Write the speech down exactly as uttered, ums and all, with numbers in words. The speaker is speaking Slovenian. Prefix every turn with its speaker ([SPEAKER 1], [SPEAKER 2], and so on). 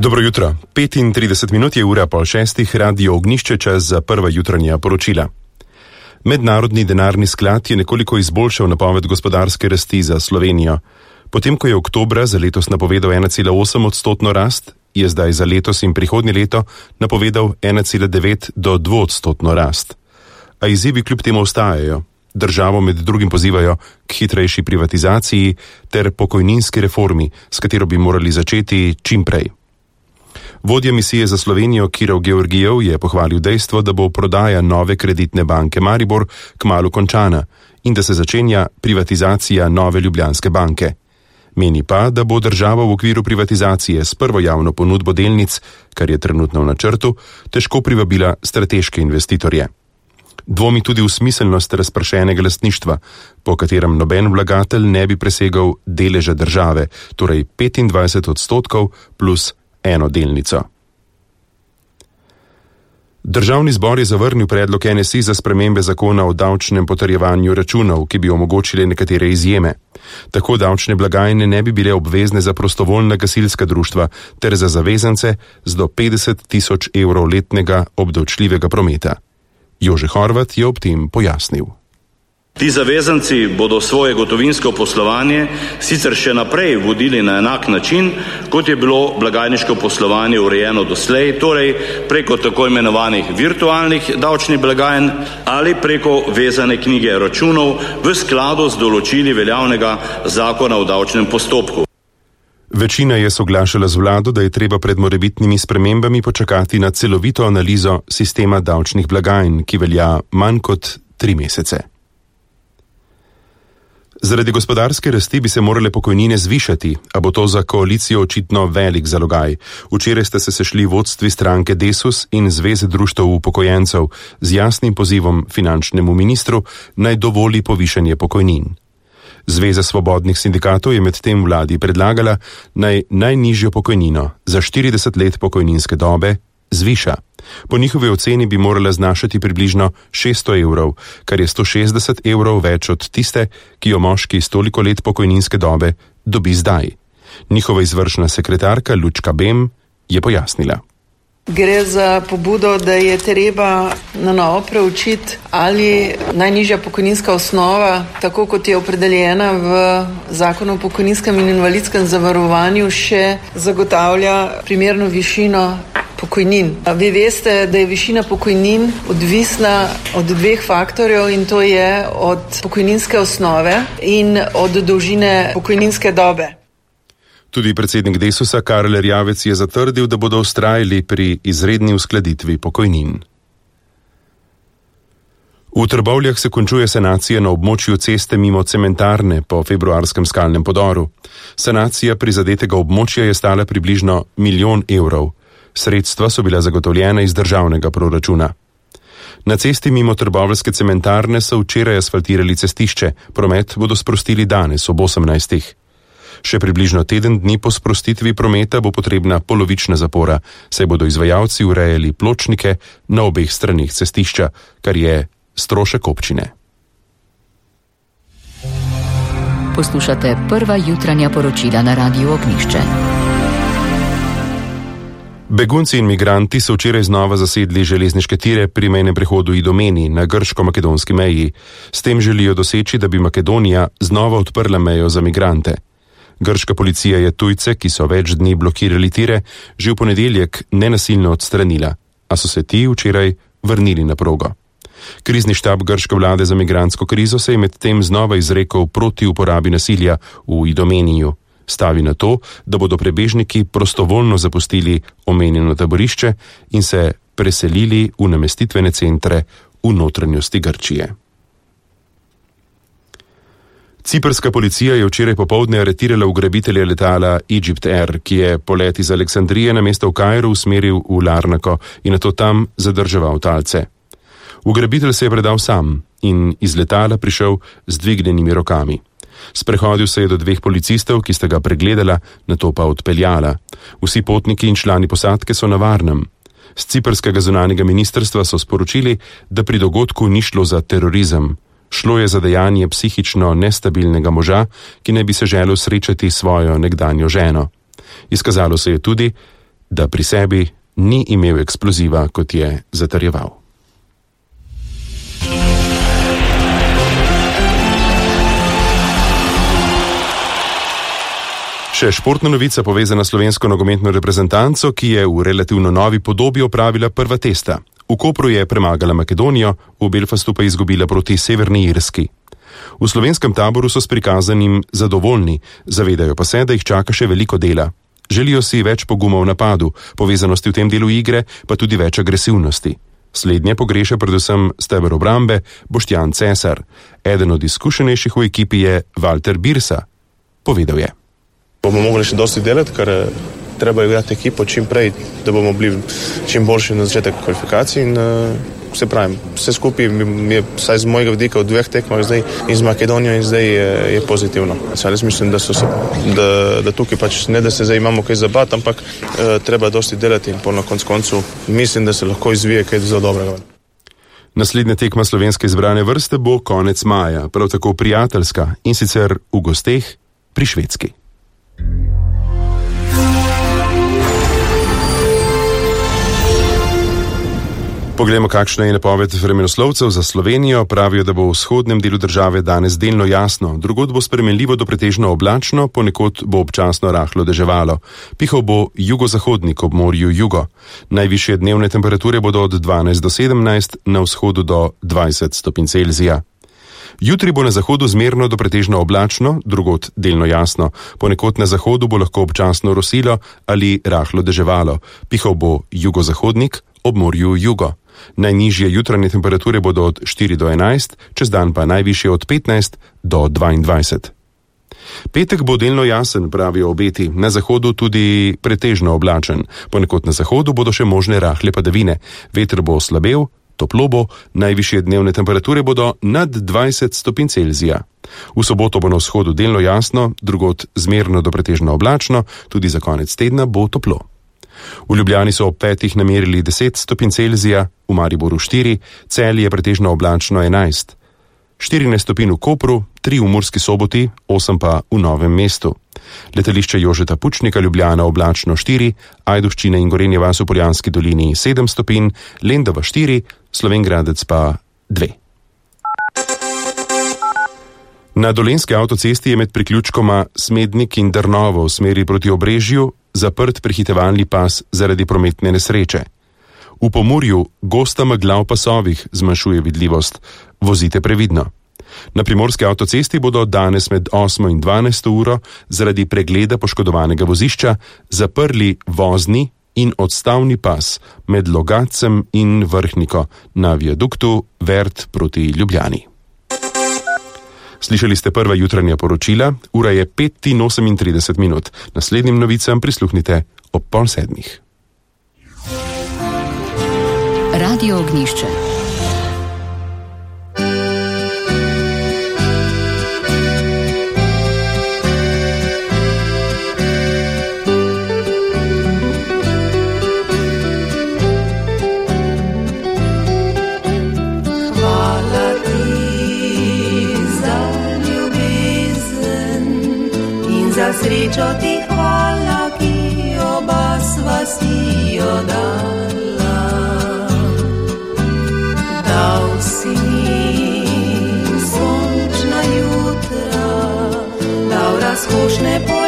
[SPEAKER 1] Dobro jutro. petintrideset minut je ura pol šestih, radio Ognjišče, čas za prva jutranja poročila. Mednarodni denarni sklad je nekoliko izboljšal napoved gospodarske rasti za Slovenijo. Potem, ko je oktobra za letos napovedal ena cela osem odstotno rast, je zdaj za letos in prihodnje leto napovedal ena cela devet do dvoodstotno rast. A izzivi kljub temu ostajajo. Državo med drugim pozivajo k hitrejši privatizaciji ter pokojninski reformi, s katero bi morali začeti čim prej. Vodja misije za Slovenijo Kirov Georgijev je pohvalil dejstvo, da bo prodaja nove kreditne banke Maribor kmalu končana in da se začenja privatizacija nove Ljubljanske banke. Meni pa, da bo država v okviru privatizacije s prvo javno ponudbo delnic, kar je trenutno v načrtu, težko privabila strateške investitorje. Dvomi tudi v smiselnost razpršenega lastništva, po katerem noben vlagatelj ne bi presegal deleža države, torej petindvajset odstotkov plus eno delnico. Državni zbor je zavrnil predlog N S I za spremembe zakona o davčnem potrjevanju računov, ki bi omogočile nekatere izjeme. Tako davčne blagajne ne bi bile obvezne za prostovoljna gasilska društva ter za zavezance z do petdeset tisoč evrov letnega obdavčljivega prometa. Jože Horvat je ob tem pojasnil.
[SPEAKER 2] Ti zavezanci bodo svoje gotovinsko poslovanje sicer še naprej vodili na enak način, kot je bilo blagajniško poslovanje urejeno doslej, torej preko tako imenovanih virtualnih davčnih blagajn ali preko vezane knjige računov v skladu z določili veljavnega zakona o davčnem postopku.
[SPEAKER 1] Večina je soglašala z vlado, da je treba pred morebitnimi spremembami počakati na celovito analizo sistema davčnih blagajn, ki velja manj kot tri mesece. Zaradi gospodarske rasti bi se morale pokojnine zvišati, a bo to za koalicijo očitno velik zalogaj. Včeraj ste se sešli vodstvi stranke Desus in Zveze društev upokojencev z jasnim pozivom finančnemu ministru, naj dovoli povišanje pokojnin. Zveza svobodnih sindikatov je medtem vladi predlagala, naj najnižjo pokojnino za štirideset let pokojninske dobe zviša. Po njihovi oceni bi morala znašati približno šeststo evrov, kar je sto šestdeset evrov več od tiste, ki jo moški s toliko let pokojninske dobe dobi zdaj. Njihova izvršna sekretarka Lučka Bem je pojasnila.
[SPEAKER 3] Gre za pobudo, da je treba na novo preučiti, ali najnižja pokojninska osnova, tako kot je opredeljena v zakonu o pokojninskem in invalidskem zavarovanju, še zagotavlja primerno višino pokojnin. Vi veste, da je višina pokojnin odvisna od dveh faktorjev in to je od pokojninske osnove in od dolžine pokojninske dobe.
[SPEAKER 1] Tudi predsednik Desusa Karel Erjavec je zatrdil, da bodo vztrajali pri izredni uskladitvi pokojnin. V Trbovljah se končuje sanacija na območju ceste mimo cementarne po februarskem skalnem podoru. Sanacija prizadetega območja je stala približno milijon evrov. Sredstva so bila zagotovljena iz državnega proračuna. Na cesti mimo trboveljske cementarne so včeraj asfaltirali cestišče, promet bodo sprostili danes ob osemnajstih. Še približno teden dni po sprostitvi prometa bo potrebna polovična zapora, saj bodo izvajalci urejali pločnike na obeh straneh cestišča, kar je strošek občine.
[SPEAKER 4] Poslušate prva jutranja poročila na radiu Ognjišče.
[SPEAKER 1] Begunci in migranti so včeraj znova zasedli železniške tire pri mejnem prehodu Idomeni na grško-makedonski meji. S tem želijo doseči, da bi Makedonija znova odprla mejo za migrante. Grška policija je tujce, ki so več dni blokirali tire, že v ponedeljek nenasilno odstranila, a so se ti včeraj vrnili na progo. Krizni štab grške vlade za migrantsko krizo se je medtem znova izrekel proti uporabi nasilja v Idomeniju. Stavi na to, da bodo prebežniki prostovoljno zapustili omenjeno taborišče in se preselili v namestitvene centre v notranjosti Grčije. Ciprska policija je včeraj popoldne aretirala ugrabitelja letala Egypt Air, ki je polet iz Aleksandrije namesto v Kairu usmeril v Larnako in nato tam zadrževal talce. Ugrabitelj se je predal sam in iz letala prišel z dvignjenimi rokami. Sprehodil se je do dveh policistov, ki sta ga pregledala, nato pa odpeljala. Vsi potniki in člani posadke so na varnem. Z ciprskega zunanjega ministrstva so sporočili, da pri dogodku ni šlo za terorizem. Šlo je za dejanje psihično nestabilnega moža, ki naj bi se želel srečati s svojo nekdanjo ženo. Izkazalo se je tudi, da pri sebi ni imel eksploziva, kot je zatrjeval. Še športna novica povezana s slovensko nogometno reprezentanco, ki je v relativno novi podobi opravila prva testa. V Kopru je premagala Makedonijo, v Belfastu pa izgubila proti Severni Irski. V slovenskem taboru so s prikazanim zadovoljni, zavedajo pa se, da jih čaka še veliko dela. Želijo si več poguma v napadu, povezanosti v tem delu igre, pa tudi več agresivnosti. Slednje pogreša predvsem steber obrambe Boštjan Cesar. Eden od izkušenejših v ekipi je Walter Birsa. Povedal je:
[SPEAKER 5] Bomo mogli še dosti delati, ker treba igrati ekipo čim prej, da bomo bili čim boljši na začetek kvalifikacij in uh, vse pravim, vse skupaj mi je, vsaj z mojega vidika, v dveh tekmah zdaj in z Makedonijo in zdaj je, je pozitivno. Jaz mislim, da, so se, da, da tukaj pač ne, da se zdaj imamo kaj zabati, ampak uh, treba dosti delati in po na koncu koncu mislim, da se lahko izvije kaj zelo dobrega.
[SPEAKER 1] Naslednja tekma slovenske izbrane vrste bo konec maja, prav tako prijateljska, in sicer v gosteh pri Švedski. Poglejmo, kakšna je napoved vremenoslovcev za Slovenijo. Pravijo, da bo v vzhodnem delu države danes delno jasno, drugod bo spremenljivo do pretežno oblačno, ponekod bo občasno rahlo deževalo. Pihal bo jugozahodnik ob morju jugo. Najvišje dnevne temperature bodo od dvanajst do sedemnajst, na vzhodu do dvajset stopinj Celzija. Jutri bo na zahodu zmerno do pretežno oblačno, drugod delno jasno. Ponekod na zahodu bo lahko občasno rosilo ali rahlo deževalo. Pihal bo jugozahodnik ob morju jugo. Najnižje jutranje temperature bodo od štiri do enajst, čez dan pa najvišje od petnajst do dvaindvajset. Petek bo delno jasen, pravijo obeti, na zahodu tudi pretežno oblačen. Ponekod na zahodu bodo še možne rahle padavine. Veter bo oslabel, toplo bo, najvišje dnevne temperature bodo nad dvajset stopinj Celzija. V soboto bo na vzhodu delno jasno, drugod zmerno do pretežno oblačno, tudi za konec tedna bo toplo. V Ljubljani so ob petih namerili deset stopinj Celzija, v Mariboru štiri, Celje je pretežno oblačno enajst. štirinajst stopinj v Kopru, tri v Murski Soboti, osem pa v Novem mestu. Letališče Jožeta Pučnika Ljubljana oblačno štiri, Ajdovščina in Gorenje vas v Poljanski dolini sedem stopinj, Lendava štiri, Slovenj Gradec pa dve. Na Dolenjski avtocesti je med priključkoma Smednik in Drnovo v smeri proti Obrežju zaprt prehitevalni pas zaradi prometne nesreče. V Pomurju gosta megla v pasovih zmanjšuje vidljivost. Vozite previdno. Na primorski avtocesti bodo danes med osmo in dvanajsto uro zaradi pregleda poškodovanega vozišča zaprli vozni in odstavni pas med Logatcem in Vrhniko na viaduktu Vert proti Ljubljani. Slišali ste prva jutranja poročila, ura je pet in osemintrideset minut. Naslednjim novicam prisluhnite ob pol sedmih.
[SPEAKER 4] Radio Ognišče.
[SPEAKER 6] Srečo ti hvala, ki oba sva si jo dala. Dal si mi sončna jutra, dal razkošne po